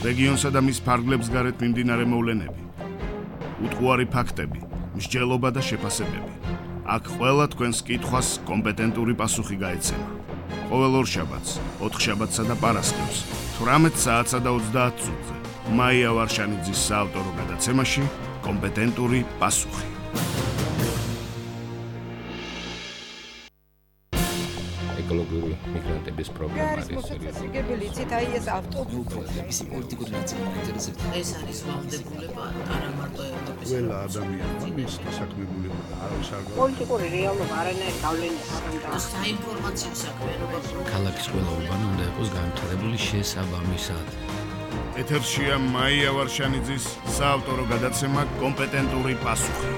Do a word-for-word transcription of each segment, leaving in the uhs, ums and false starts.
რეგიონსა და მის ფარგლებს გარეთ მიმდინარე მოვლენები, უტყუარი ფაქტები, მსჯელობა და შეფასებები. აქ ყველა თქვენს კითხვას კომპეტენტური პასუხი გაეცემა. ყოველ ორშაბათს, ოთხშაბათსა და პარასკევს, თვრამეტ საათსა და ოცდაათ წუთზე, მაია ვარშანიძის საავტორო გადაცემაში კომპეტენტური პასუხი. ეკოლოგიური მიგრანტების პრობლემა არის მოსაცილებელი ცით აი ეს ავტობუსი ის პოლიტიკური ნაწილი მაინტერესებს ეს არის ვალდებულება არა მარტო ევროპის ყველა ადამიანმა მის დასაქმებულება არავის არ გაქვს პოლიტიკური რეალობა არანაირ გავლენას არ უნდა საინფორმაციო საქმიანობა ქალაქის ყველა ურბანი უნდა იყოს განვითარებული შესაბამისად. ეთერშია მაია ვარშანიძის საავტორო გადაცემა კომპეტენტური პასუხი.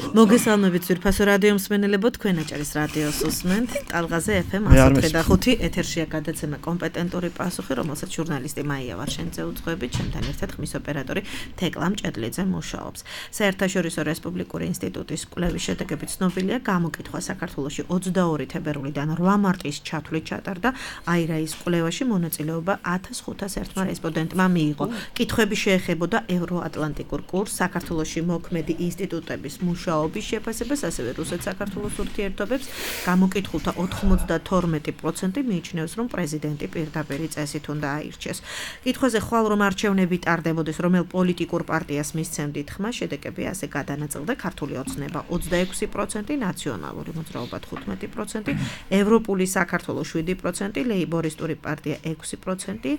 მოგესალმებით ძვირფასო რადიო მსმენელებო, თქვენ აჭარის რადიოს უსმენთ ტალღაზე ეფ ემ ათი და ხუთი ეთერშია გადაცემა კომპეტენტური პასუხი, რომელსაც ჟურნალისტი მაია ვარშანიძე უძღვებით, ჩემთან ერთად ხმის ოპერატორი თეკლა მჭედლიძე მუშაობს. საერთაშორისო რესპუბლიკური ინსტიტუტის კვლევის შედეგები ცნობილია, გამოკითხვა საქართველოში ოცდაორი თებერვლიდან რვა მარტის ჩათვლით ჩატარდა, აირაის კვლევაში მონაწილეობა ათას ხუთას ერთმა რესპონდენტმა მიიღო. კითხვები შეეხებოდა ევროატლანტიკურ კურსს, საქართველოში მოქმედი ინსტიტუტების მუშაობის შეფასებას, ასევე რუსეთ-საქართველოს ურთიერთობებს. გამოკითხულთა ოთხმოცდათორმეტი პროცენტი მიიჩნევს, რომ პრეზიდენტი პირდაპირი წესით უნდა აირჩეს. კითხვაზე ხვალ რომ არჩევნები ტარდებოდეს, რომელ პოლიტიკურ პარტიას მისცემდით ხმა, შედეგები ასე გადანაწილდა: ქართული ოცნება ოცდაექვსი პროცენტი, ნაციონალური მოძრაობა თხუთმეტი პროცენტი, ევროპული საქართველო შვიდი პროცენტი, ლეიბორისტური პარტია ექვსი პროცენტი,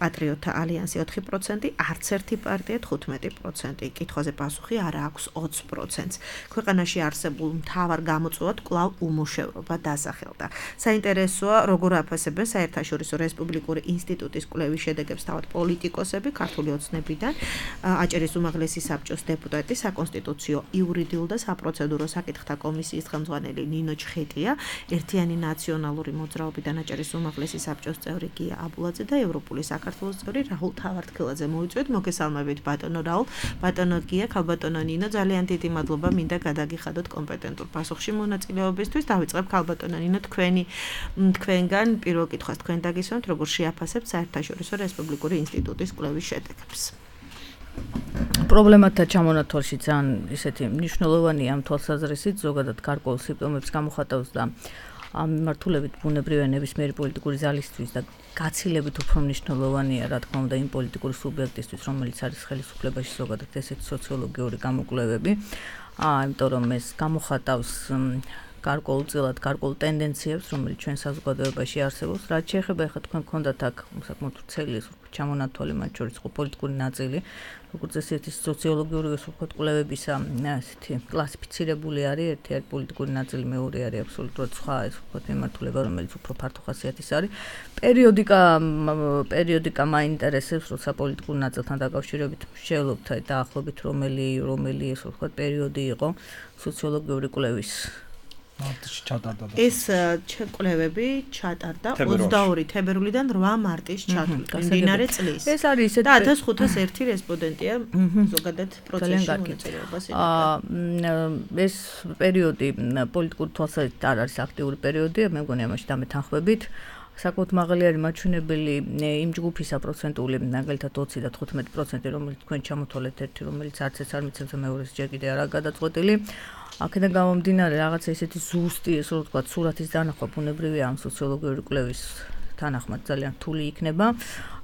პატრიოტთა ალიანსი ოთხი პროცენტი, არც ერთი პარტია თხუთმეტი პროცენტი. კითხვაზე პასუხი არა აქვს ოცი პროცენტს. ქვეყანაში არსებულ მთავარ გამოწვევად კვლავ უმუშევრობა დასახელდა. საინტერესოა, როგორ აფასებენ საერთაშორისო რესპუბლიკური ინსტიტუტის კვლევის შედეგებს თავად პოლიტიკოსები, ქართული ოცნებიდან, აჭარის უმაღლესი საბჭოს დეპუტატი, საკონსტიტუციო, იურიდიულ და საპროცედურო საკითხთა კომისიის ხელმძღვანელი ნინო ჩხეტია, ერთიანი ნაციონალური მოძრაობიდან აჭარის უმაღლესი საბჭოს წევრი გია აბულაძე და ევროპული საქართველოს წევრი რაულ თავართქილაძე მოიწვიეთ. მოგესალმებით ბატონო რაულ, ბატონო გია, ქალბატონო ნინო, ძალიან დიდი მადლობა მინდა გადაგიხადოთ კომპეტენტურ პასუხში მონაწილეობისთვის. დავიწყებ ქალბატონო ნინო, თქვენი თქვენგან პირველ კითხვას თქვენ დაგისვამთ, როგორ შეაფასებთ საერთაშორისო რესპუბლიკური ინსტიტუტის კვლევის შედეგებს. პრობლემათა ჩამონათვალში ძალიან ისეთი მნიშვნელოვანია ამ თვალსაზრისით, ზოგადად გარკვეულ სიმპტომებს გამოხატავს და ამ მიმართულებით ბუნებრივია ნებისმიერი პოლიტიკური ძალისთვის და გაცილებით უფრო მნიშვნელოვანია, რა თქმა უნდა, იმ პოლიტიკური სუბიექტისთვის, რომელიც არის ხელისუფლებაში, ზოგადად ესეთი სოციოლოგიური გამოკვლევები. აა, იმიტომ რომ ეს გამოხატავს გარკვეულწილად გარკვეულ ტენდენციებს, რომელიც ჩვენ საზოგადოებაში არსებობს. რაც შეეხება ახლა თქვენ გქონდათ აქ საკმაოდ ვრცელი ჩამონათვალი, მათ შორის იყო პოლიტიკური ნაწილი, როგორც ესეთი სოციოლოგიური ვთქვათ კვლევებისა, ასეთი კლასიფიცირებული არის, ერთი არის პოლიტიკური ნაწილი, მეორე არის აბსოლუტურად სხვა, ეს ვთქვათ მიმართულება, რომელიც უფრო ფართო ხასიათის არის. პერიოდიკა პერიოდიკა მაინტერესებს, როცა პოლიტიკურ ნაწილთან დაკავშირებით შევლობთ დაახლოებით რომელი რომელი ეს ვთქვათ პერიოდი იყო სოციოლოგიური კვლევის. მარტში ჩატარდა და ეს კვლევები ჩატარდა ოცდაორი თებერვლიდან რვა მარტის ჩათვლით, მიმდინარე წლის. ეს არის ისეთი და ათას ხუთას ერთი რესპონდენტია ზოგადად პროცესში მონაწილეობას იღებდა. ეს პერიოდი პოლიტიკური თვალსაზრისით არ არის აქტიური პერიოდი, მე მგონი ამაში დამეთანხმებით. საკმაოდ მაღალი არის მაჩვენებელი იმ ჯგუფისა პროცენტული, მაგალითად ოცი და თხუთმეტი პროცენტი, რომელიც თქვენ ჩამოთვალეთ, ერთი რომელიც არც ეს არ მიცემს, მეორეს ჯერ კიდე არაა გადაწყვეტილი. აქედან გამომდინარე რაღაცა ისეთი ზუსტი, ესე რომ ვთქვათ, სურათის დანახვა ბუნებრივია ამ სოციოლოგიური კვლევის თანახმად ძალიან რთული იქნება.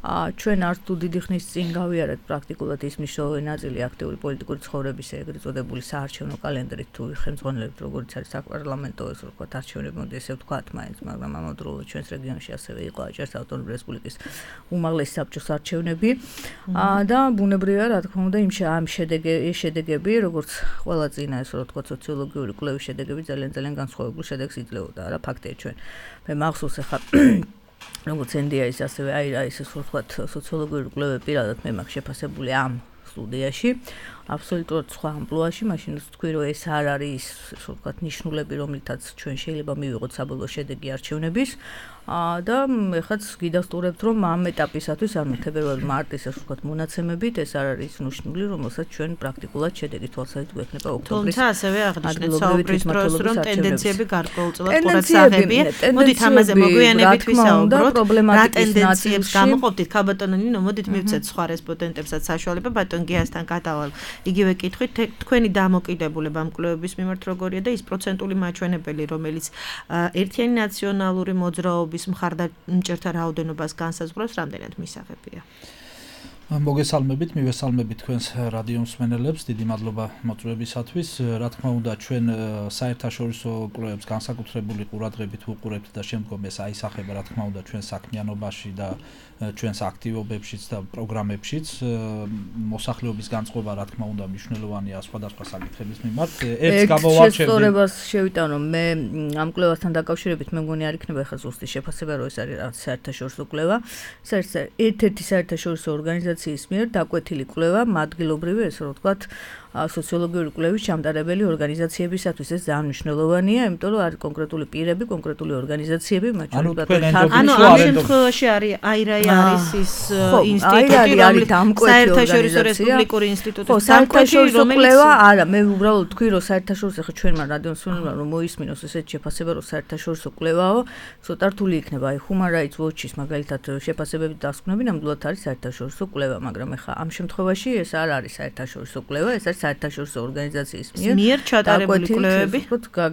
ჩვენ არც თუ დიდი ხნის წინ გავიარეთ პრაქტიკულად ის მნიშვნელოვანი ნაწილი აქტიური პოლიტიკური ცხოვრებისა, ეგრეთ წოდებული საარჩევნო კალენდრით თუ ხელმძღვანელობთ, როგორც არის საპარლამენტო, ესე ვთქვათ, არჩევნები, მოდი ესე ვთქვათ, მაინც, მაგრამ ამავდროულად ჩვენს რეგიონში ასევე იყო აჭარის ავტონომიური რესპუბლიკის უმაღლესი საბჭოს არჩევნები და ბუნებრივია, რა თქმა უნდა, იმ ამ შედეგები, როგორც ყველა წინა, ესე ვთქვათ, სოციოლოგიური კვლევის შედეგები ძალიან ძალიან განსხვავებულ შედეგს იძლეოდა. რა ფაქტია ჩვენ. მე მახსოვს ახლა როგორც ენ დი ეის ასევე აირაის ეს ვთქვათ სოციოლოგიური კვლევები პირადად მე მაქვს შეფასებული ამ სტუდიაში. აბსოლუტურად სხვა ამპლუაში, მაშინ ვთქვი, რომ ეს არ არის, ასე ვთქვათ, ნიშნულები, რომლითაც ჩვენ შეიძლება მივიღოთ საბოლოო შედეგი არჩევნების. და ეხლა გიდასტურებთ რომ ამ ეტაპისათვის ანუ თებერვალ-მარტის ასე ვთქვათ მონაცემებით ეს არ არის ნიშნული რომელსაც ჩვენ პრაქტიკულად შედეგი თვალსაჩინო გვექნება ოქტომბრის თუმცა ასევე აღნიშნეთ საუბრის დროს რომ ტენდენციები გარკვეულწილად ყურადსაღებია მოდით ამაზე მოგვიანებით ვისაუბროთ რა ტენდენციებს გამოყოფთ ქალბატონო ნინო მოდით მივცეთ სხვა რესპონდენტებსაც საშუალება ბატონ გიასთან გადავალ იგივე კითხვით თქვენი დამოკიდებულება ამ კვლევების მიმართ როგორია და ის პროცენტული მაჩვენებელი რომელიც ერთიანი ნაციონალური მოძრაობის მხარდამჭერთა რაოდენობას განსაზღვრავს რამდენად მისაღებია მოგესალმებით, მივესალმებით თქვენს რადიო მსმენელებს, დიდი მადლობა მოწვევისათვის. Რა თქმა უნდა, ჩვენ საერთაშორისო კვლევებს განსაკუთრებული ყურადღებით ვუყურებთ და შემდგომ ეს აისახება, რა თქმა უნდა, ჩვენ საქმიანობაში და ჩვენს აქტივობებშიც და პროგრამებშიც. მოსახლეობის განწყობა, რა თქმა უნდა, მნიშვნელოვანია სხვადასხვა საკითხების მიმართ. ერთს გამოვარჩევდი. შესწორებას შევიტანო, მე ამ კვლევასთან დაკავშირებით მე მგონი არ იქნება ახლა ზუსტი შეფასება, რომ ეს არის რაღაც საერთაშორისო კვლევა. ეს არის ერთ-ერთი საერთაშორისო ორგანიზაციის მიერ დაკვეთილი კვლევა, ადგილობრივი, ესე რომ ვთქვათ, სოციოლოგიური კვლევის ჩამტარებელი ორგანიზაციებისათვის ეს ძალიან მნიშვნელოვანია, იმიტომ რომ არის კონკრეტული პირები, კონკრეტული ორგანიზაციები, მათ შორის ანუ ამ შემთხვევაში არის აირაი არის ის ინსტიტუტი, რომელიც საერთაშორისო რესპუბლიკური ინსტიტუტის საერთაშორისო კვლევა არა, მე უბრალოდ თქვი რომ საერთაშორისო ხა ჩვენმა რადიოსმენელმა რომ მოისმინოს ესეთ შეფასება რომ საერთაშორისო კვლევაო, ცოტა რთული იქნება, აი Human Rights Watch-ის მაგალითად შეფასებები დასკვნები ნამდვილად არის საერთაშორისო კვლევა, მაგრამ ეხა ამ შემთხვევაში ეს არ არის საერთაშორისო კვლევა, ეს არის საერთაშორისო ორგანიზაციის მიერ ჩატარებული კვლევები,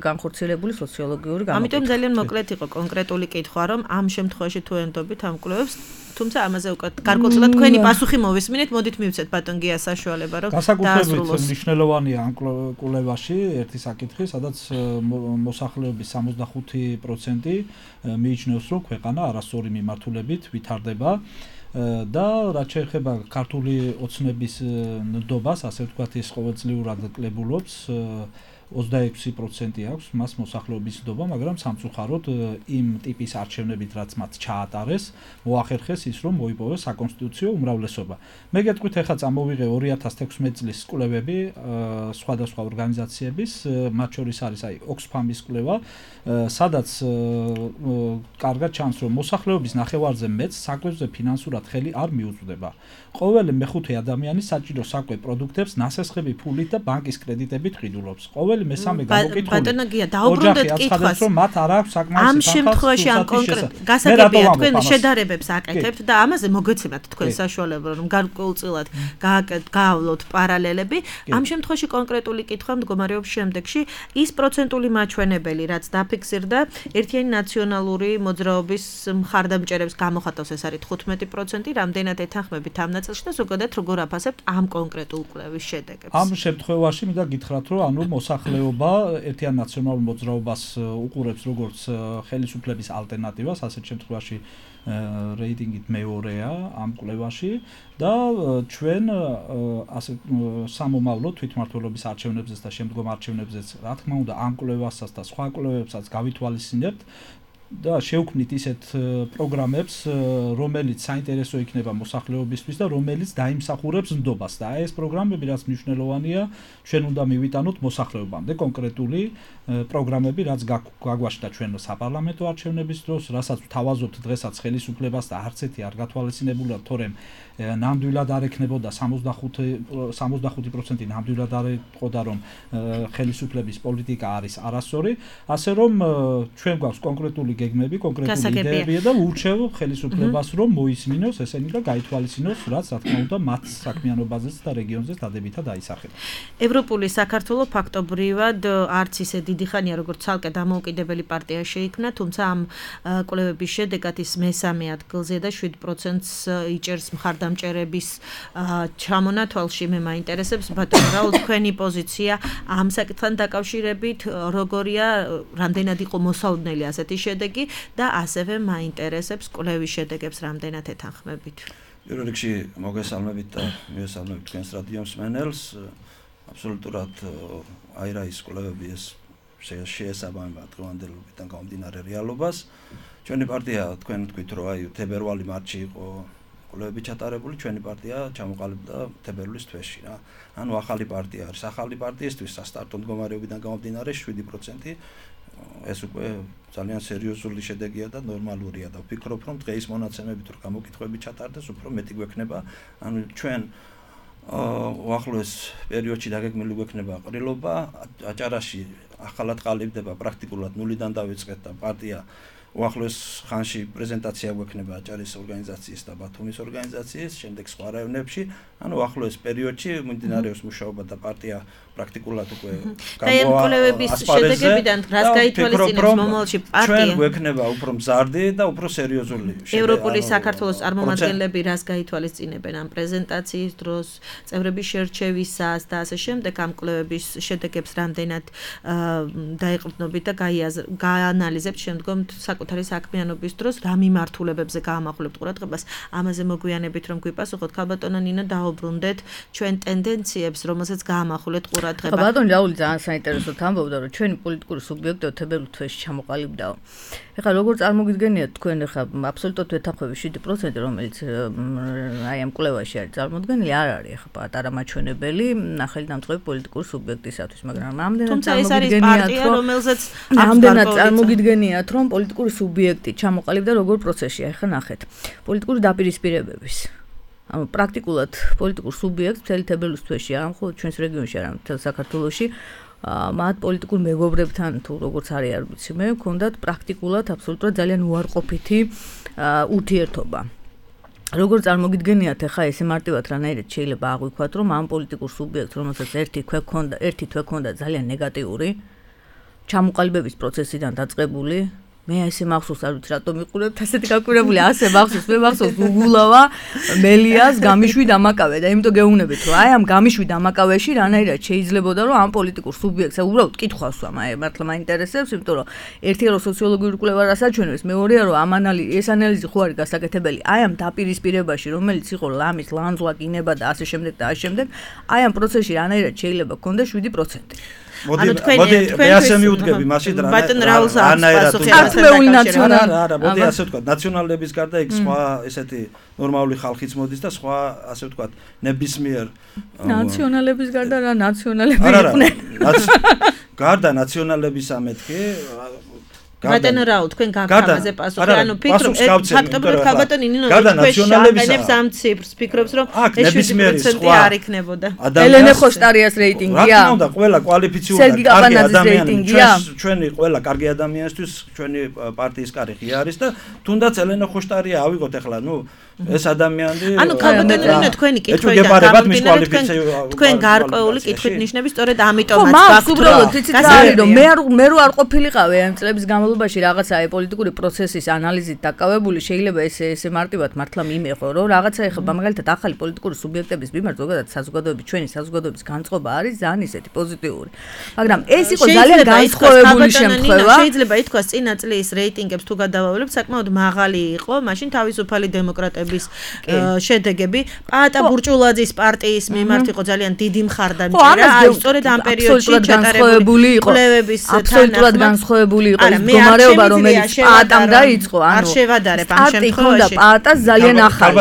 განხორციელებული სოციოლოგიური გამოკითხვა. ამიტომ ძალიან მოკლედ იყო კონკრეტული კითხვა, რომ ამ შემთხვევაში თუ ენდობით ამ კვლევებს, თუმცა ამაზე უკვე გარკვეულწილად თქვენი პასუხი მოვისმინეთ, მოდით მივცეთ ბატონ გიას საშუალება, რომ განსაკუთრებით მნიშვნელოვანია ამ კვლევაში ერთი საკითხი, სადაც მოსახლეობის სამოცდახუთი პროცენტი მიიჩნევს, რომ ქვეყანა არასწორი მიმართულებით ვითარდება. და რაც შეეხება ქართული ოცნების ნდობას, ასე ვთქვათ, ის ყოველწლიურად კლებულობს ოცდაექვსი პროცენტი აქვს მას მოსახლეობის ნდობა, მაგრამ სამწუხაროდ იმ ტიპის არჩევნებით, რაც მათ ჩაატარეს, მოახერხეს ის, რომ მოიპოვეს საკონსტიტუციო უმრავლესობა. მე გეტყვით, ახლა წამოვიღე ორი ათას თექვსმეტი წლის კვლევები სხვადასხვა ორგანიზაციების, მათ შორის არის აი Oxfam-ის კვლევა, სადაც კარგად ჩანს, რომ მოსახლეობის ნახევარზე მეტს საკვებზე ფინანსურად ხელი არ მიუწვდება. ყოველი მეხუთე ადამიანი საჭირო საკვე პროდუქტებს ნასესხები ფულით და ბანკის კრედიტებით ყიდულობს. ყოველი მესამე გამოკითხული. ბატონო გია, დაუბრუნდეთ კითხვას. რომ მათ არ აქვს საკმარისი ამ შემთხვევაში ამ კონკრეტ გასაგებია თქვენ შედარებებს აკეთებთ და ამაზე მოგეცემათ თქვენ საშუალება რომ გარკვეულწილად გაავლოთ პარალელები. ამ შემთხვევაში კონკრეტული კითხვა მდგომარეობს შემდეგში, ის პროცენტული მაჩვენებელი, რაც დაფიქსირდა ერთიანი ნაციონალური მოძრაობის მხარდამჭერებს გამოხატავს, ეს არის თხუთმეტი პროცენტი, რამდენად ეთანხმებით ამ ნაწილში და ზოგადად როგორ აფასებთ ამ კონკრეტულ კვლევის შედეგებს. ამ შემთხვევაში მინდა გითხრათ, რომ ანუ მოსახლეობა ერთიან ნაციონალურ მოძრაობას უყურებს როგორც ხელისუფლების ალტერნატივას, ასეთ შემთხვევაში რეიტინგით მეორეა ამ კვლევაში და ჩვენ ასე სამომავლო თვითმმართველობის არჩევნებზეც და შემდგომ არჩევნებზეც, რა თქმა უნდა, ამ კვლევასაც და სხვა კვლევებსაც გავითვალისწინებთ და შევქმნით ისეთ პროგრამებს, რომელიც საინტერესო იქნება მოსახლეობისთვის და რომელიც დაიმსახურებს ნდობას და ეს პროგრამები, რაც მნიშვნელოვანია, ჩვენ უნდა მივიტანოთ მოსახლეობამდე კონკრეტული პროგრამები, რაც გაგვაშთა ჩვენ საპარლამენტო არჩევნების დროს, რასაც ვთავაზობთ დღესაც ხელისუფლებას და არც ერთი არ გათვალისწინებულა, თორემ ნამდვილად არ ექნებოდა სამოცდახუთი პროცენტი ნამდვილად არ ეთყოდა, რომ ხელისუფლების პოლიტიკა არის არასწორი, ასე რომ ჩვენ გვაქვს კონკრეტული გეგმები, კონკრეტული იდეები და ურჩევ ხელისუფლებას, რომ მოისმინოს ესენი და გაითვალისწინოს, რაც რა თქმა უნდა მათ საქმიანობაზეც და რეგიონზეც დადებითად აისახება. ევროპული საქართველო ფაქტობრივად არც ისე დიდი ხანია, როგორც ცალკე დამოუკიდებელი პარტია შეიქმნა, თუმცა ამ კვლევების შედეგად ის მესამე ადგილზე და შვიდ პროცენტს იჭერს მხარდამჭერების ჩამონათვალში. მე მაინტერესებს ბატონო რაულ თქვენი პოზიცია ამ საკითხთან დაკავშირებით, როგორია, რამდენად იყო მოსალოდნელი ასეთი შედეგი და ასევე მაინტერესებს კვლევის შედეგებს რამდენად ეთანხმებით. პირველ რიგში მოგესალმებით და მივესალმებით თქვენს რადიო მსმენელს. აბსოლუტურად აირაის კვლევები ეს შეესაბამება დღევანდელობიდან გამომდინარე რეალობას. ჩვენი პარტია თქვენ თქვით, რომ აი თებერვალი-მარტში იყო კვლევები ჩატარებული, ჩვენი პარტია ჩამოყალიბდა თებერვლის თვეში რა. ანუ ახალი პარტია არის. ახალი პარტიისთვის სასტარტო მდგომარეობიდან გამომდინარე შვიდი პროცენტი ეს უკვე ძალიან სერიოზული შედეგია და ნორმალურია და ვფიქრობ, რომ დღეის მონაცემებით რო გამოკითხვები ჩატარდეს, უფრო მეტი გვექნება. ანუ ჩვენ უახლოეს პერიოდში დაგეგმილი გვექნება ყრილობა, აჭარაში ახალად ყალიბდება პრაქტიკულად ნულიდან დავიწყეთ და პარტია უახლოეს ხანში პრეზენტაცია გვექნება აჭარის ორგანიზაციის და ბათუმის ორგანიზაციის, შემდეგ სხვა რაიონებში, ანუ უახლოეს პერიოდში მიმდინარეობს მუშაობა და პარტია პრაქტიკულად უკვე გამოაყენებს შედეგებიდან რას გაითვალისწინებს მომავალში პარტია? ჩვენ გვექნება უფრო მზარდი და უფრო სერიოზული შედეგი. ევროპული საქართველოს წარმომადგენლები რას გაითვალისწინებენ ამ პრეზენტაციის დროს, წევრების შერჩევისას და ასე შემდეგ ამ კვლევების შედეგებს რამდენად დაეყრდნობით და გაანალიზებთ შემდგომ საკუთარი საქმიანობის დროს რა მიმართულებებზე გაამახვილებთ ყურადღებას? ამაზე მოგვიანებით რომ გვიპასუხოთ, ქალბატონო ნინო, დაუბრუნდეთ ჩვენ ტენდენციებს, რომელსაც გაამახვილებთ ყურადღება. ქალბატონი რაული ძალიან საინტერესოდ ამბობდა, რომ ჩვენი პოლიტიკური სუბიექტები თებერვლის თვეში ჩამოყალიბდაო. ეხლა როგორ წარმოგიდგენიათ თქვენ ეხლა აბსოლუტურად ვეთანხმები შვიდი პროცენტი, რომელიც აი ამ კვლევაში არის წარმოდგენილი, არ არის ეხლა პატარა მაჩვენებელი ნახელი დამწყები პოლიტიკური სუბიექტისათვის, მაგრამ ამდენად წარმოგიდგენიათ, რომ რომელზეც ამდენად წარმოგიდგენიათ, რომ პოლიტიკური სუბიექტი ჩამოყალიბდა როგორ პროცესში, ეხლა ნახეთ. პოლიტიკური დაპირისპირებების ანუ პრაქტიკულად პოლიტიკურ სუბიექტს მთელი თებერვლის თვეში, არა მხოლოდ ჩვენს რეგიონში, არამედ მთელ საქართველოში, მათ პოლიტიკურ მეგობრებთან თუ როგორც არის არ ვიცი მე, ჰქონდათ პრაქტიკულად აბსოლუტურად ძალიან უარყოფითი ურთიერთობა. როგორ წარმოგიდგენიათ ახლა ესე მარტივად რანაირად შეიძლება აღვიქვათ, რომ ამ პოლიტიკურ სუბიექტს, რომელსაც ერთი თვე ჰქონდა, ერთი თვე ჰქონდა ძალიან ნეგატიური, ჩამოყალიბების პროცესიდან დაწყებული, მე ესე მახსოვს, არ ვიცი რატომ მიყურებთ ასეთი გაკვირებული, ასე მახსოვს, მე მახსოვს უგულავა, მელიას, გამიშვი დამაკავე და იმიტომ გეუბნებით, რომ აი ამ გამიშვი დამაკავეში რანაირად შეიძლებოდა, რომ ამ პოლიტიკურ სუბიექტს უბრალოდ კითხვას ვამ, აი მართლა მაინტერესებს, იმიტომ რომ ერთი რომ სოციოლოგიური კვლევა რასაჩვენებს, მეორეა რომ ამ ანალიზი, ეს ანალიზი ხო არის გასაკეთებელი, აი ამ დაპირისპირებაში, რომელიც იყო ლამის, ლანძღვა, კინება და ასე შემდეგ და ასე შემდეგ, აი ამ პროცესში რანაირად შეიძლება გქონდეს შვიდი პროცენტი. მოდი მოდი მე ასე მიუდგები მაშინ რა ანაირად ქართული ნაციონალი არა მოდი ასე ვთქვა ნაციონალების გარდა იქ სხვა ესეთი ნორმალური ხალხიც მოდის და სხვა ასე ვთქვა ნებისმიერ ნაციონალების გარდა რა ნაციონალები იყვნენ გარდა ნაციონალებისა მეთქი ბატონო რაო თქვენ გაგამაზე პასუხი ანუ ფიქრობ ფაქტობრივად ქალბატონი ნინო თქვენ შეგანებს ამ ციფრს ფიქრობს რომ ეს შვიდი პროცენტი არ იქნებოდა ელენე ხოშტარიას რეიტინგია რა თქმა უნდა ყველა კვალიფიციური კარგი ადამიანია ჩვენი ყველა კარგი ადამიანისთვის ჩვენი პარტიის კარი ღია არის და თუნდაც ელენე ხოშტარია ავიღოთ ახლა ნუ ეს ადამიანი ანუ ქალბატონი ნინო თქვენი კითხვიდან თქვენ გარკვეული კითხვით ნიშნები სწორედ ამიტომაც გაქვთ უბრალოდ იცით რა არის რომ მე მე რო არ ყოფილიყავი ამ წლების განმავლობაში რაღაცა აი პოლიტიკური პროცესის ანალიზით დაკავებული შეიძლება ესე ესე მარტივად მართლა მიმეღო რომ რაღაცა ეხება მაგალითად ახალი პოლიტიკური სუბიექტების მიმართ ზოგადად საზოგადოების ჩვენი საზოგადოების განწყობა არის ძალიან ისეთი პოზიტიური მაგრამ ეს იყო ძალიან განსხვავებული შემთხვევა შეიძლება ითქვას წინა წლის რეიტინგებს თუ გადავავლებთ საკმაოდ მაღალი იყო მაშინ თავისუფალი დემოკრატების შედეგები პაატა ბურჭულაძის პარტიის მიმართ იყო ძალიან დიდი მხარდამჭერა აი სწორედ ამ პერიოდში ჩატარებული კვლევების აბსოლუტურად განსხვავებული იყო ის მდგომარეობა რომელიც პაატამ დაიწყო ანუ არ შევადარებ ამ შემთხვევაში პაატას ძალიან ახალი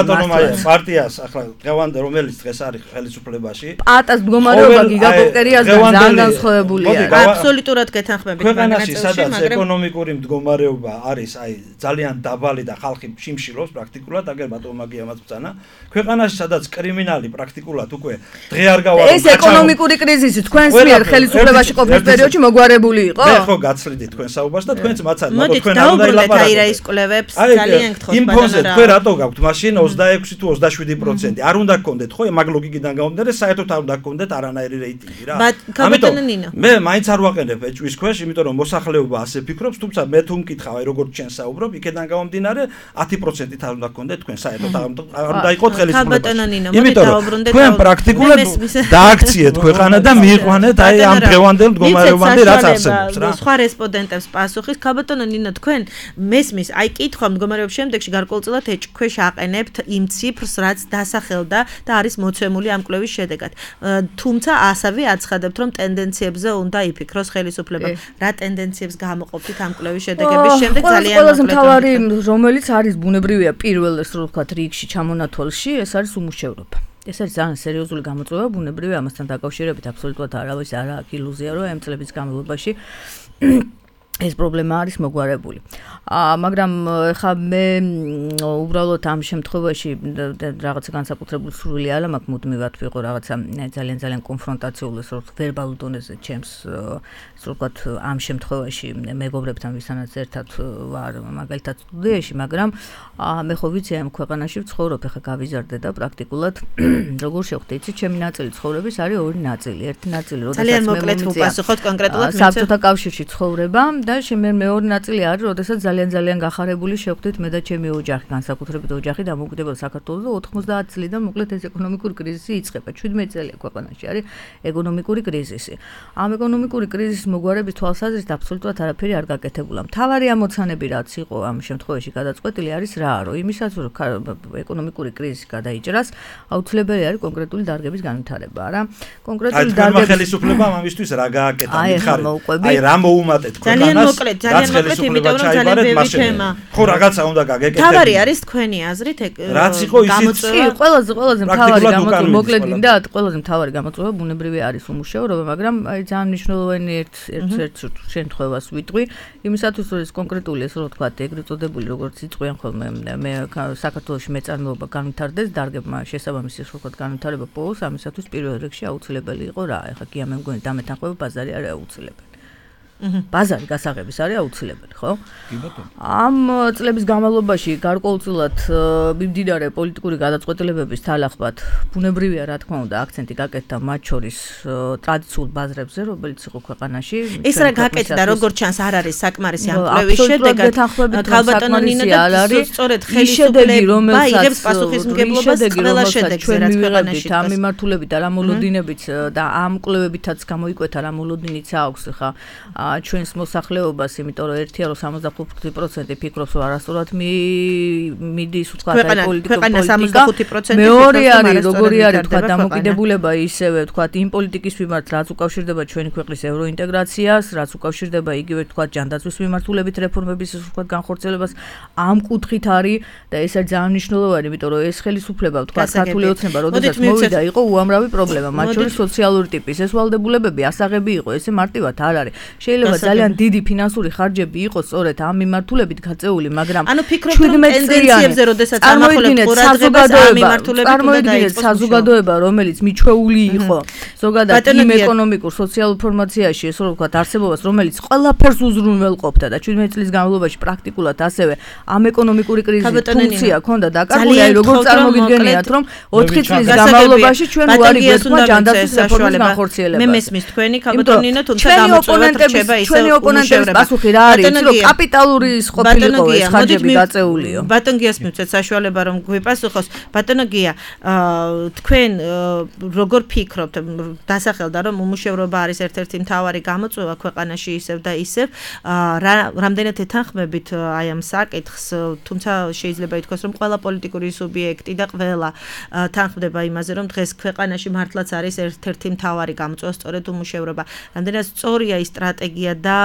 პარტიას ახლა დღევანდე რომელიც დღეს არის ხელისუფლებაში პაატას მდგომარეობა გიგაკოპტერიასგან ძალიან განსხვავებულია აბსოლუტურად გეთანხმებით ქვეყანაში სადაც ეკონომიკური მდგომარეობა არის აი ძალიან დაბალი და ხალხი შიმშილობს პრაქტიკულად აგერ ბატონმა გიამაც ბძანა ქვეყანაში სადაც კრიმინალი პრაქტიკულად უკვე დღე არ გავარო ეს ეკონომიკური კრიზისი თქვენს მიერ ხელისუფლებაში ყოფნის პერიოდში მოგვარებული იყო მე ხო გაცლიდით თქვენ საუბარს და თქვენც მაცად მაგ თქვენ არ უნდა ილაპარაკოთ აი რა ის კვლევებს ძალიან გთხოვთ იმ ფონზე თქვენ რატო გაქვთ მაშინ ოცდაექვსი თუ ოცდაშვიდი პროცენტი არ უნდა გქონდეთ ხო მაგ ლოგიკიდან გამომდინარე საერთოდ არ უნდა გქონდეთ არანაირი რეიტინგი რა ამიტომ მე მაინც არ ვაყენებ ეჭვის ქვეშ იმიტომ რომ მოსახლეობა ასე ფიქრობს თუმცა მე თუ მკითხავ აი როგორც ჩვენ საუბრობ იქიდან გამომდინარე ათი პროცენტით არ უნდა გქონდეთ თქვენ საერთოდ არ უნდა იყოთ ხელისუფლებაში იმიტომ რომ თქვენ პრაქტიკულად დააქციეთ ქვეყანა და მიიყვანეთ აი ამ დღევანდელ მდგომარეობამდე რაც არსებობს რა სხვა რესპონდენტებს პასუხის ქალბატონო ნინო თქვენ მესმის აი კითხვა მდგომარეობის შემდეგში გარკვეულწილად ეჭქვეშ აყენებთ იმ ციფრს რაც დასახელდა და არის მოცემული ამ კვლევის შედეგად თუმცა ასევე აცხადებთ რომ ტენდენციებზე უნდა იფიქროს ხელისუფლება რა ტენდენციებს გამოყოფით ამ კვლევის შედეგების შემდეგ ძალიან ყველაზე მთავარი რომელიც არის ბუნებრივია პირველ ეს რო ვთქვათ რიგში ჩამონათვალში ეს არის უმუშევრობა ეს არის ძალიან სერიოზული გამოწვევა ბუნებრივია ამასთან დაკავშირებით აბსოლუტურად არავის არ აქვს ილუზია რომ ამ წლების განმავლობაში ეს პრობლემა არის მოგვარებული. აა მაგრამ ხა მე უბრალოდ ამ შემთხვევაში რაღაცა განსაკუთრებული სურვილი არ მაქვს მუდმივად ვიყო რაღაცა ძალიან ძალიან კონფრონტაციული სულ ვერბალურ დონეზე ჩემს ასე ვთქვათ ამ შემთხვევაში მეგობრებთან ვისანაც ერთად ვარ მაგალითად სტუდიაში, მაგრამ მე ხო ვიცი ამ ქვეყანაში ვცხოვრობ, ხა გავიზარდე და პრაქტიკულად როგორ შევხვდი, იცი, ჩემი ნაწილი ცხოვრების არის ორი ნაწილი. ერთი ნაწილი როდესაც ძალიან მოკლედ ვუპასუხოთ კონკრეტულად საბჭოთა კავშირში ცხოვრება და შემე მეორე ნაწილი არის, როდესაც ძალიან ძალიან გახარებული შევხვდით მე და ჩემი ოჯახი, განსაკუთრებით ოჯახი დამოუკიდებელ საქართველოს და ოთხმოცდაათ წლიდან მოკლედ ეს ეკონომიკური კრიზისი იწყება. ჩვიდმეტ წელია ქვეყანაში არის ეკონომიკური კრიზისი. ამ ეკონომიკური კრიზისის მოგვარების თვალსაზრისით აბსოლუტურად არაფერი არ გაკეთებულა. მთავარი ამოცანები რაც იყო ამ შემთხვევაში გადაწყვეტილი არის რა, რომ იმისაც რომ ეკონომიკური კრიზისი გადაიჭრას, აუცილებელი არის კონკრეტული დარგების განვითარება, რა. კონკრეტული დარგების ხელისუფლებამ ამისთვის რა გააკეთა, მითხარი. აი რა მოუმატეთ ქვეყანას. ძალიან მოკლედ, ძალიან მოკლედ, იმიტომ რომ ძალიან ბევრი თემა. ხო, რაღაცა უნდა გაგეკეთებინა. თავარი არის თქვენი აზრით რაც იყო ისიც ყველაზე ყველაზე მთავარი გამოწვევა, მოკლედ მინდა, ყველაზე მთავარი გამოწვევა ბუნებრივი არის უმუშევრობა, მაგრამ აი ძალიან მნიშვნელოვანი ერთ ერთ შემთხვევას ვიტყვი, იმისათვის რომ ეს კონკრეტული ეს რო თქვა, ეგრეთ წოდებული როგორც იწყვიან ხოლმე მე საქართველოში მეწარმეობა განვითარდეს, დარგებმა შესაბამისი ეს რო თქვა განვითარება პოულს, ამისათვის პირველ რიგში აუცილებელი იყო რა, ეხლა კი ამ მგონი დამეთანხმება ბაზარი არის აუცილებელი. ბაზარი გასაღების არის აუცილებელი, ხო? კი ბატონო. ამ წლების განმავლობაში გარკვეულწილად მიმდინარე პოლიტიკური გადაწყვეტილებების თანახმად ბუნებრივია რა თქმა უნდა აქცენტი გაკეთდა მათ შორის ტრადიციულ ბაზრებზე, რომელიც იყო ქვეყანაში. ეს რა გაკეთდა, როგორც ჩანს, არ არის საკმარისი ამ კვლევის შედეგად. ქალბატონო ნინო და სწორედ ხელისუფლება იღებს პასუხისმგებლობას ყველა შედეგზე, რაც ქვეყანაში ამ მიმართულებით და რა მოლოდინებით და ამ კვლევებითაც გამოიკვეთა რა მოლოდინიც აქვს ხა ჩვენს მოსახლეობას, იმიტომ რომ ერთია რომ სამოცდახუთი პროცენტი ფიქრობს რომ არასწორად მიდის ვთქვათ აი პოლიტიკა სამოცდახუთი პროცენტი მეორე არის როგორი არის ვთქვათ დამოკიდებულება ისევე ვთქვათ იმ პოლიტიკის მიმართ რაც უკავშირდება ჩვენი ქვეყნის ევროინტეგრაციას, რაც უკავშირდება იგივე ვთქვათ ჯანდაცვის მიმართულებით რეფორმების ვთქვათ განხორციელებას ამ კუთხით არის და ეს არის ძალიან მნიშვნელოვანი, იმიტომ რომ ეს ხელისუფლება ვთქვათ ქართული ოცნება როდესაც მოვიდა იყო უამრავი პრობლემა, მათ შორის სოციალური ტიპის ეს ვალდებულებები ასაღები იყო, ესე მარტივად არ არის. შეიძლება ძალიან დიდი ფინანსური ხარჯები იყოს სწორედ ამ მიმართულებით გაწეული, მაგრამ ანუ ფიქრობთ რომ ტენდენციებზე როდესაც ამახვილებთ ყურადღებას ამ მიმართულებით უნდა დაიწყოს საზოგადოება, რომელიც მიჩვეული იყო ზოგადად იმ ეკონომიკურ სოციალურ ფორმაციაში, ესე რომ ვთქვათ, არსებობას, რომელიც ყველაფერს უზრუნველყოფდა და ჩვიდმეტ წლის განმავლობაში პრაქტიკულად ასევე ამ ეკონომიკური კრიზისის ფუნქცია ჰქონდა დაკარგული, აი როგორ წარმოგიდგენიათ, რომ ოთხი წლის განმავლობაში ჩვენ უარი გვეთქვა ჯანდაცვის რეფორმის განხორციელებას. მე მესმის თქვენი ქალბატონინო, თუმცა გამოწვევა ჩვენი ოპონენტების პასუხი რა არის, რომ კაპიტალური ყოფილიყო ეს ხარჯები გაწეულიო. ბატონ გიას მივცეთ საშუალება რომ გვიპასუხოს. ბატონო გია, თქვენ როგორ ფიქრობთ, დასახელდა რომ უმუშევრობა არის ერთ-ერთი მთავარი გამოწვევა ქვეყანაში ისევ და ისევ, რამდენად ეთანხმებით აი ამ საკითხს, თუმცა შეიძლება ითქვას რომ ყველა პოლიტიკური სუბიექტი და ყველა თანხმდება იმაზე რომ დღეს ქვეყანაში მართლაც არის ერთ-ერთი მთავარი გამოწვევა სწორედ უმუშევრობა. რამდენად სწორია ის სტრატეგია და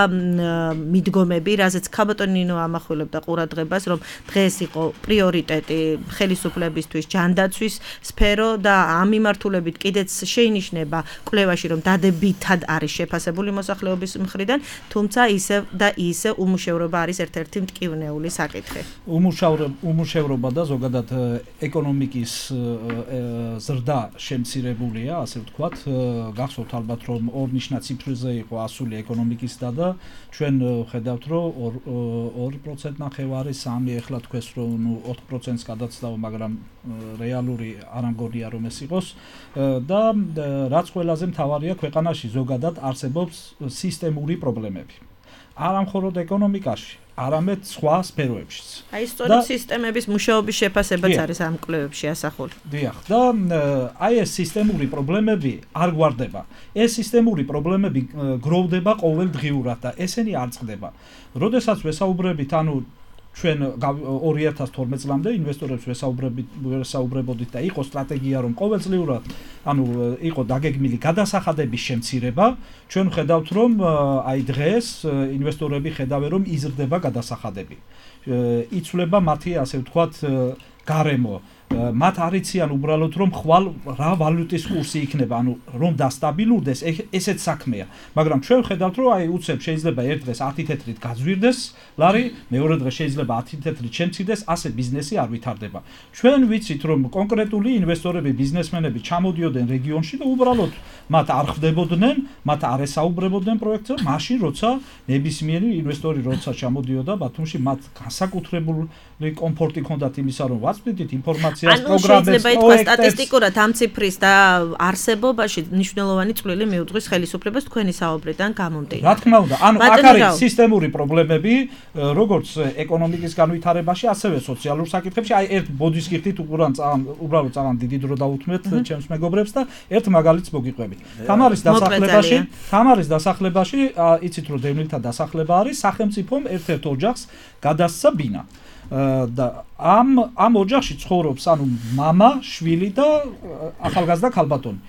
მიდგომები, რაზეც ქალბატონინო ამახვილებდა ყურადღებას, რომ დღეს იყო პრიორიტეტი ხელისუფლებისთვის ჯანდაცვის სფერო და ამ მიმართულებით კიდეც შეინიშნება კვლევაში, რომ დადებითად არის შეფასებული მოსახლეობის მხრიდან, თუმცა ისევ და ისევ უმუშევრობა არის ერთ-ერთი მტკივნეული საკითხი. უმუშევრობა და ზოგადად ეკონომიკის ზრდა შემცირებულია, ასე ვთქვათ, გახსოვთ ალბათ რომ ორნიშნა ციფრზე იყო ასული ეკონომიკისა და ჩვენ ხედავთ რომ ორი პროცენტი ნახევარი სამი ეხლა თქვენს რომ ნუ ოთხ პროცენტს გადაცდაო, მაგრამ რეალური არ ამგონია რომ ეს იყოს და რაც ყველაზე მთავარია ქვეყანაში ზოგადად არსებობს სისტემური პრობლემები. არა მხოლოდ ეკონომიკაში, არამედ სხვა სფეროებშიც. აი სწორედ სისტემების მუშაობის შეფასებაც არის ამ კვლევებში ასახული. დიახ, და აი ეს სისტემური პრობლემები არ გვარდება. ეს სისტემური პრობლემები გროვდება ყოველდღიურად და ესენი არ წყდება. როდესაც ვესაუბრებით, ანუ ჩვენ ორი ათას თორმეტ წლამდე ინვესტორებს ვესაუბრებით, ვესაუბრებოდით და იყო სტრატეგია, რომ ყოველწლიურად, ანუ იყო დაგეგმილი გადასახადების შემცირება, ჩვენ ხედავთ, რომ აი დღეს ინვესტორები ხედავენ, რომ იზრდება გადასახადები. იცვლება მათი, ასე ვთქვათ, გარემო, მათ არიციან უბრალოდ რომ ხვალ რა ვალუტის კურსი იქნება, ანუ რომ დასტაბილურდეს, ესეც საქმეა. მაგრამ ჩვენ ვხედავთ რომ აი უცებ შეიძლება ერთ დღეს ათი თეთრით გაძვირდეს ლარი, მეორე დღეს შეიძლება ათი თეთრით შემცირდეს, ასე ბიზნესი არ ვითარდება. ჩვენ ვიცით რომ კონკრეტული ინვესტორები, ბიზნესმენები ჩამოდიოდნენ რეგიონში და უბრალოდ მათ არ ხვდებოდნენ, მათ არ ესაუბრებოდნენ პროექტზე, მაშინ როცა ნებისმიერი ინვესტორი როცა ჩამოდიოდა ბათუმში, მათ განსაკუთრებული კომფორტი ჰქონდათ იმისა, რომ ვაწვდით ინფორმაციას, პროგრამებს, შეიძლება ითქვა სტატისტიკურად ამ ციფრის და არსებობაში მნიშვნელოვანი წვლილი მიუძღვის ხელისუფლებას თქვენი საუბრიდან გამომდინარე. რა თქმა უნდა, ანუ აქ არის სისტემური პრობლემები, როგორც ეკონომიკის განვითარებაში, ასევე სოციალურ საკითხებში. აი ერთ ბოდის კირთით უბრალოდ წაღან დიდი დრო დაუთმეთ ჩემს მეგობრებს და ერთ მაგალითს მოგიყვებით. თამარის დასახლებაში, თამარის დასახლებაში, იცით რომ დევნილთა დასახლება არის, სახელმწიფომ ერთ-ერთ ოჯახს გადასცა ბინა. და ამ ამ ოჯახში ცხოვრობს ანუ მამა, შვილი და ახალგაზრდა ქალბატონი.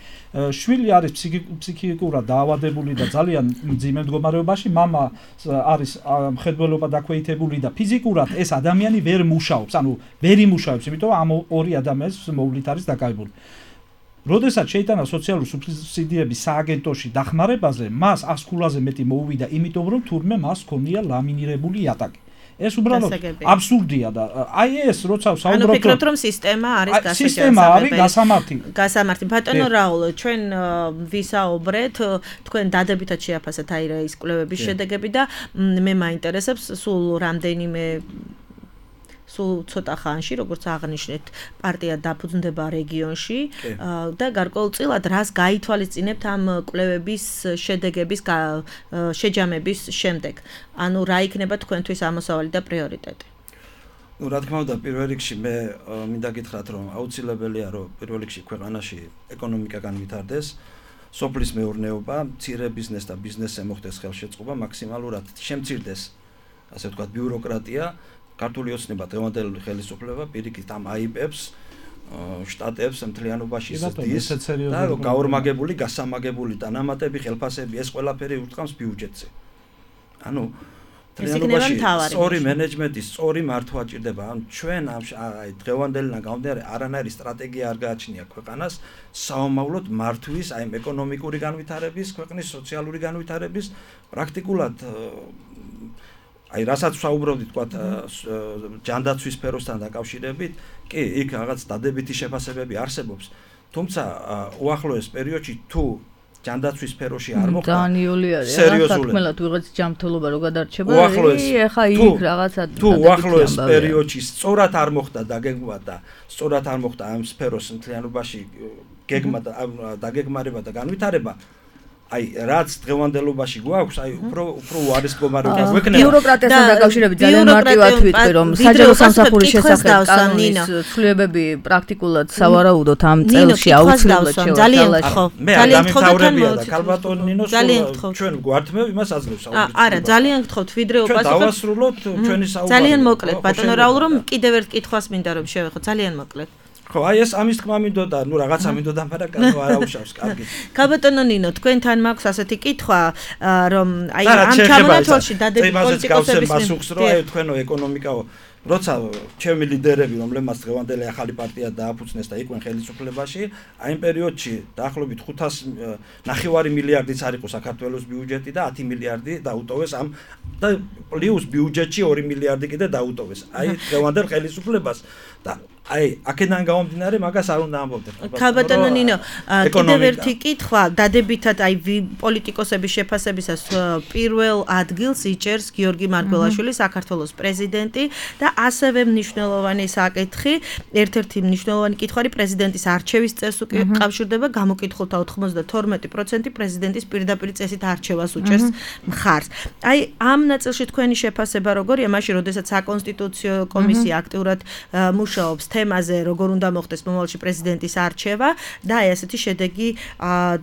შვილი არის ფსიქიკურად დაავადებული და ძალიან მძიმე მდგომარეობაში, მამა არის მხედველობა დაქვეითებული და ფიზიკურად ეს ადამიანი ვერ მუშაობს, ანუ ვერ იმუშავებს, იმიტომ რომ ამ ორი ადამიანის მოვლით არის დაკავებული. როდესაც შეიტანა სოციალური სუბსიდიების სააგენტოში დახმარებაზე, მას ას ქულაზე მეტი მოუვიდა, იმიტომ რომ თურმე მას ჰქონია ლამინირებული იატაკი. ეს უბრალოდ აბსურდია და აი ეს როცა ვსაუბრობ ანუ ფიქრობთ რომ სისტემა არის გასაგებია სისტემა არის გასამართი გასამართი ბატონო რაულ ჩვენ ვისაუბრეთ თქვენ დადებითად შეაფასეთ აი რა ის კვლევების შედეგები და მე მაინტერესებს სულ რამდენიმე სულ ცოტა ხანში, როგორც აღნიშნეთ, პარტია დაფუძნდება რეგიონში და გარკვეულწილად რას გაითვალისწინებთ ამ კვლევების შედეგების შეჯამების შემდეგ. ანუ რა იქნება თქვენთვის ამოსავალი და პრიორიტეტი? ну რა თქმა უნდა, პირველ რიგში მე მინდა გითხრათ, რომ აუცილებელია, რომ პირველ რიგში ქვეყანაში ეკონომიკა განვითარდეს, სოფლის მეურნეობა, მცირე ბიზნეს და ბიზნესზე მოხდეს ხელშეწყობა, მაქსიმალურად შემცირდეს, ასე ვთქვათ, ბიუროკრატია. ქართული ოცნება დღევანდელი ხელისუფლება პირიქით ამ აიბებს შტატებს მთლიანობაში ზრდის და გაორმაგებული, გასამაგებული დანამატები, ხელფასები, ეს ყველაფერი ურტყამს ბიუჯეტზე. ანუ მთლიანობაში სწორი მენეჯმენტი, სწორი მართვა ჭირდება. ანუ ჩვენ აი დღევანდელიდან გამომდინარე არანაირი სტრატეგია არ გააჩნია ქვეყანას საომავლოდ მართვის, აი ეკონომიკური განვითარების, ქვეყნის სოციალური განვითარების პრაქტიკულად აი რასაც ვსაუბრობდით, თქვათ, ჯანდაცვის სფეროსთან დაკავშირებით, კი, იქ რაღაც დადებითი შეფასებები არსებობს. თუმცა უახლოეს პერიოდში თუ ჯანდაცვის სფეროში არ მოხდა, დანიოლი არის, სერიოზულად ვიღაც ჯანმრთელობა რო გადარჩება, ეხა იქ რაღაცა თუ უახლოეს პერიოდში სწორად არ მოხდა დაგეგმვა და სწორად არ მოხდა ამ სფეროს მთლიანობაში გეგმა და დაგეგმარება და განვითარება, აი რაც დღევანდელობაში გვაქვს, აი უფრო უფრო უარის მდგომარეობა გვექნება. ბიუროკრატიასთან დაკავშირებით ძალიან მარტივად ვიტყვი, რომ საჯარო სამსახურის შესახებ კანონის ცვლილებები პრაქტიკულად სავარაუდოდ ამ წელში აუცილებლად შევა. ძალიან გთხოვ. ძალიან გთხოვდები და ქალბატონ ნინოს ჩვენ გვართმევ იმას აძლევს საუბრის. არა, ძალიან გთხოვთ, ვიდრე უპასუხოთ. ჩვენ დავასრულოთ ჩვენი საუბარი. ძალიან მოკლედ, ბატონო რაულ, რომ კიდევ ერთ კითხვას მინდა რომ შევეხო, ძალიან მოკლედ. ხო, აი ეს ამის თქმა მინდოდა, ну რაღაცა მინდოდა, მაგრამ კანო არ აუშავს, კარგი. ქალბატონო ნინო, თქვენთან მაქვს ასეთი კითხვა, რომ აი ამ ჩამონათვალში დადებით პოლიტიკოსების პასუხს რო აი თქვენო ეკონომიკაო, როცა ჩემი ლიდერები, რომლებმაც დღევანდელი ახალი პარტია დააფუძნეს და იყვნენ ხელისუფლებაში, აი იმ პერიოდში დაახლოებით ხუთას ნახევარი მილიარდიც არ იყო საქართველოს ბიუჯეტი და ათი მილიარდი დაუტოვეს ამ და პლუს ბიუჯეტში ორი მილიარდი კიდე დაუტოვეს. აი დღევანდელ ხელისუფლებას და აი აქედან გამომდინარე მაგას არ უნდა ამბობდეთ. ქალბატონო ნინო, კიდევ ერთი კითხვა, დადებითად აი პოლიტიკოსების შეფასებისას პირველ ადგილს იჭერს გიორგი მარგველაშვილი, საქართველოს პრეზიდენტი და ასევე მნიშვნელოვანი საკითხი, ერთ-ერთი მნიშვნელოვანი კითხვარი პრეზიდენტის არჩევის წესს უკავშირდება, გამოკითხულთა ოცდათორმეტი პროცენტი პრეზიდენტის პირდაპირ წესით არჩევას უჭერს მხარს. აი ამ ნაწილში თქვენი შეფასება როგორია, მაშინ როდესაც საკონსტიტუციო კომისია აქტიურად მუშაობს თემაზე, როგორ უნდა მოხდეს მომავალში პრეზიდენტის არჩევა და აი ასეთი შედეგი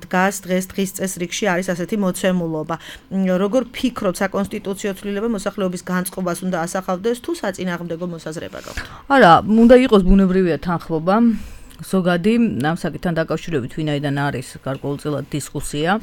დგას დღეს დღის წესრიგში არის ასეთი მოცემულობა. როგორ ფიქრობთ, საკონსტიტუციო ცვლილება მოსახლეობის განწყობას უნდა ასახავდეს თუ საწინააღმდეგო მოსაზრება გაქვთ? არა, უნდა იყოს ბუნებრივია თანხმობა. ზოგადი ამ საკითხთან დაკავშირებით ვინაიდან არის გარკვეულწილად დისკუსია.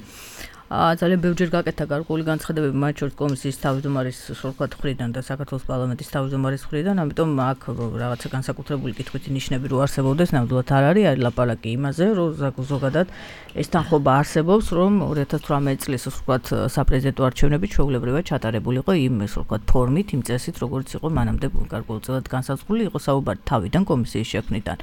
ძალიან ბევრჯერ გაკეთა გარკვეული განცხადებები მათ შორის კომისიის თავმჯდომარის სრულყოფ მხრიდან და საქართველოს პარლამენტის თავმჯდომარის მხრიდან, ამიტომ აქ რაღაცა განსაკუთრებული კითხვითი ნიშნები რო არსებობდეს, ნამდვილად არ არის, არის ლაპარაკი იმაზე, რომ ზოგადად ეს თანხმობა არსებობს, რომ ორი ათას თვრამეტი წლის სრულყოფ საპრეზიდენტო არჩევნებით ჩვეულებრივად ჩატარებულიყო იმ სრულყოფ ფორმით, იმ წესით, როგორც იყო მანამდე გარკვეულწილად განსაზღვრული, იყო საუბარი თავიდან კომისიის შექმნიდან.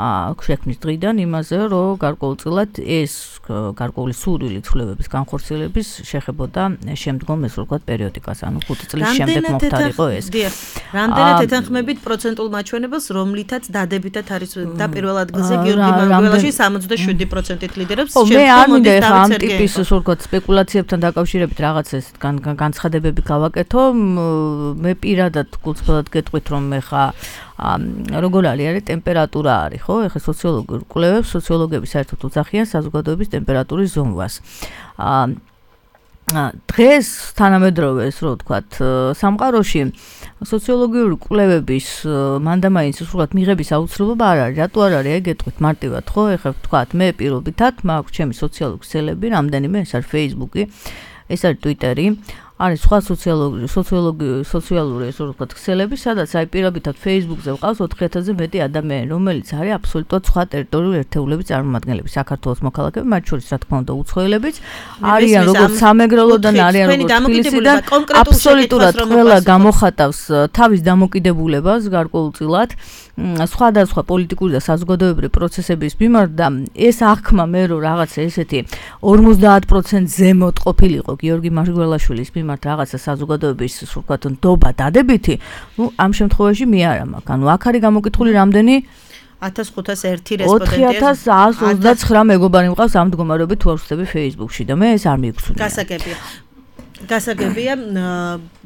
აა შექმნის დღიდან იმაზე, რომ გარკვეულწილად ეს გარკვეული სურვილი ცვლილებების განხორციელების შეხებოდა შემდგომ ეს ვთქვათ პერიოდიკას, ანუ ხუთი წლის შემდეგ მოხდარიყო ეს. რამდენად ეთანხმებით პროცენტულ მაჩვენებელს, რომლითაც დადებითად არის და პირველ ადგილზე გიორგი მარგველაში სამოცდაშვიდი პროცენტით ლიდერობს. მე არ მინდა ეხლა ამ ტიპის ვთქვათ სპეკულაციებთან დაკავშირებით რაღაც ეს განცხადებები გავაკეთო. მე პირადად გულწრფელად გეტყვით, რომ ეხლა როგორ არის არის ტემპერატურა არის, ხო? ეხლა სოციოლოგიურ კვლევებს, სოციოლოგები საერთოდ უძახიან საზოგადოების ტემპერატურის ზომვას. აა დღეს თანამედროვე ეს რო ვთქვათ, სამყაროში სოციოლოგიური კვლევების მანდამაინც ვთქვათ მიღების აუცილებლობა არ არის. რატო არ არის? ეგეთქვით მარტივად, ხო? ეხლა ვთქვათ, მე პირობითად მაქვს ჩემი სოციალური ქსელები, რამდენიმე, ეს არის Facebook-ი, ეს არის Twitter-ი. არის სხვა სოციოლოგიური სოციოლოგიური სოციალური ეს ვთქვათ ქსელები, სადაც აი პირობითად Facebook-ზე ვყავს ოთხი ათასზე მეტი ადამიანი, რომელიც არის აბსოლუტურად სხვა ტერიტორიული ერთეულების წარმომადგენლები, საქართველოს მოქალაქეები, მათ შორის რა თქმა უნდა უცხოელებიც, არიან როგორც სამეგრელოდან, არიან როგორც თბილისიდან, აბსოლუტურად ყველა გამოხატავს თავის დამოკიდებულებას გარკვეულწილად სხვადასხვა პოლიტიკური და საზოგადოებრივი პროცესების მიმართ და ეს აღქმა მე რომ რაღაცა ესეთი ორმოცდაათ პროცენტ ზემოთ ყოფილიყო გიორგი მარგველაშვილის მიმართ რაღაცა საზოგადოების ვთქვათ ნდობა დადებითი, ნუ ამ შემთხვევაში მე არ მაქვს. ანუ აქ არის გამოკითხული რამდენი ათას ხუთას ერთი რესპონდენტი ოთხი ათას ათას ოცდაცხრა მეგობარი მყავს ამ მდგომარეობით თუ არ ვხსნები Facebook-ში და მე ეს არ მიგხსნია. გასაგებია. გასაგებია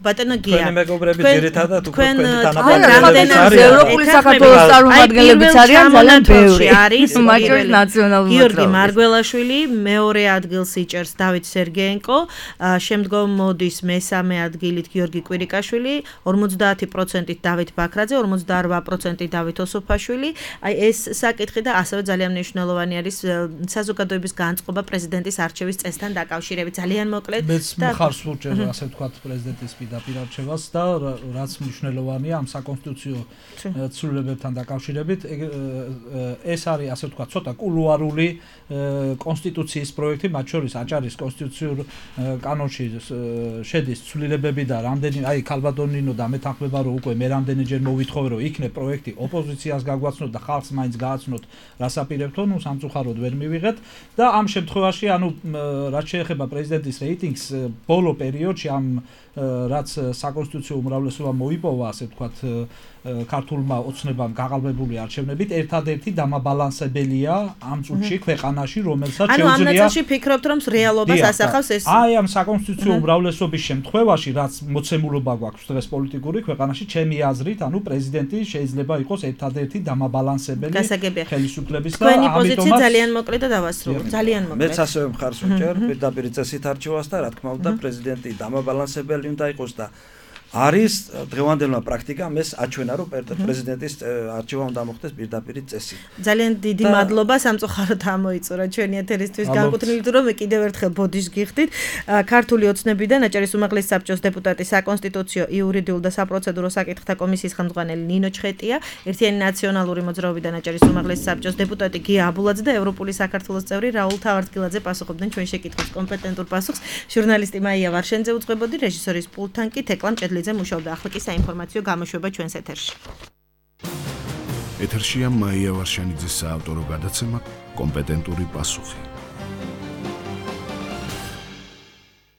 ბატონო გია. თქვენი მეგობრები ძირითადად უკვე თქვენი თანამედროვე არის ევროპული საქართველოს წარმომადგენლებიც არიან ძალიან ბევრი. არის მათ შორის ნაციონალური გიორგი მარგველაშვილი, მეორე ადგილს იჭერს დავით სერგეენკო, შემდგომ მოდის მესამე ადგილით გიორგი კვირიკაშვილი, ორმოცდაათი პროცენტით დავით ბაქრაძე, ორმოცდაარბა პროცენტით დავით ოსოფაშვილი. აი ეს საკითხი და ასევე ძალიან მნიშვნელოვანი არის საზოგადოების განწყობა პრეზიდენტის არჩევის წესთან დაკავშირებით. ძალიან მოკლედ მეც მხარს ვუჭერ ასე ვთქვათ პრეზიდენტის პირდაპირ არჩევას და რაც მნიშვნელოვანია ამ საკონსტიტუციო ცვლილებებთან დაკავშირებით, ეს არის ასე ვთქვათ ცოტა კულუარული კონსტიტუციის პროექტი, მათ შორის აჭარის კონსტიტუციურ კანონში შედის ცვლილებები და რამდენი აი ქალბატონინო და მეთანხმება რომ უკვე მე რამდენიჯერ მოვითხოვე რომ იქნებ პროექტი ოპოზიციას გაგვაცნოთ და ხალხს მაინც გააცნოთ რასაპირებთო, ნუ სამწუხაროდ ვერ მივიღეთ და ამ შემთხვევაში ანუ რაც შეეხება პრეზიდენტის რეიტინგს ბოლო პერიოდში ამ რაც საკონსტიტუციო უმრავლესობა მოიპოვა, ასე ვთქვათ, ქართულმა ოცნებამ გაყალბებული არჩევნებით, ერთადერთი დამაბალანსებელია ამ წუთში ქვეყანაში, რომელსაც შეუძლია. ანუ ამ ნაწილში ფიქრობთ, რომ რეალობას ასახავს ეს? აი ამ საკონსტიტუციო უმრავლესობის შემთხვევაში, რაც მოცემულობა გვაქვს დღეს პოლიტიკური ქვეყანაში, ჩემი აზრით, ანუ პრეზიდენტი შეიძლება იყოს ერთადერთი დამაბალანსებელი ხელისუფლების და ამიტომაც პოზიცია ძალიან მოკლედ და დავასრულოთ. ძალიან მოკლედ. მეც ასევე მხარს ვუჭერ პირდაპირ წესით არჩევას და რა თქმა უნდა პრეზიდენტი დამაბალანსებელი უნდა იყოს და არის დღევანდელმა პრაქტიკამ ეს აჩვენა რომ პრეზიდენტის არჩევა უნდა მოხდეს პირდაპირ წესით. ძალიან დიდი მადლობა სამწუხაროდ ამოიწურა ჩვენი ეთერისთვის განკუთვნილ თუ რომ მე კიდევ ერთხელ ბოდიშ გიხდით. ქართული ოცნებიდან აჭარის უმაღლესი საბჭოს დეპუტატი, საკონსტიტუციო, იურიდიულ და საპროცედურო საკითხთა კომისიის ხელმძღვანელი ნინო ჩხეტია, ერთიანი ნაციონალური მოძრაობიდან აჭარის უმაღლესი საბჭოს დეპუტატი გია აბულაძე და ევროპული საქართველოს წევრი რაულ თავართკილაძე პასუხობდნენ ჩვენ შეკითხვის კომპეტენტურ პასუხს. ჟურნალისტი მაია ვარშენძე უწყებოდი, რეჟისორის პულტთან კი თეკლამ ჭედლიძე მუშაობდა. ახლა კი საინფორმაციო გამოშვება ჩვენს ეთერში. ეთერშია მაია ვარშენიძის საავტორო გადაცემა კომპეტენტური პასუხი.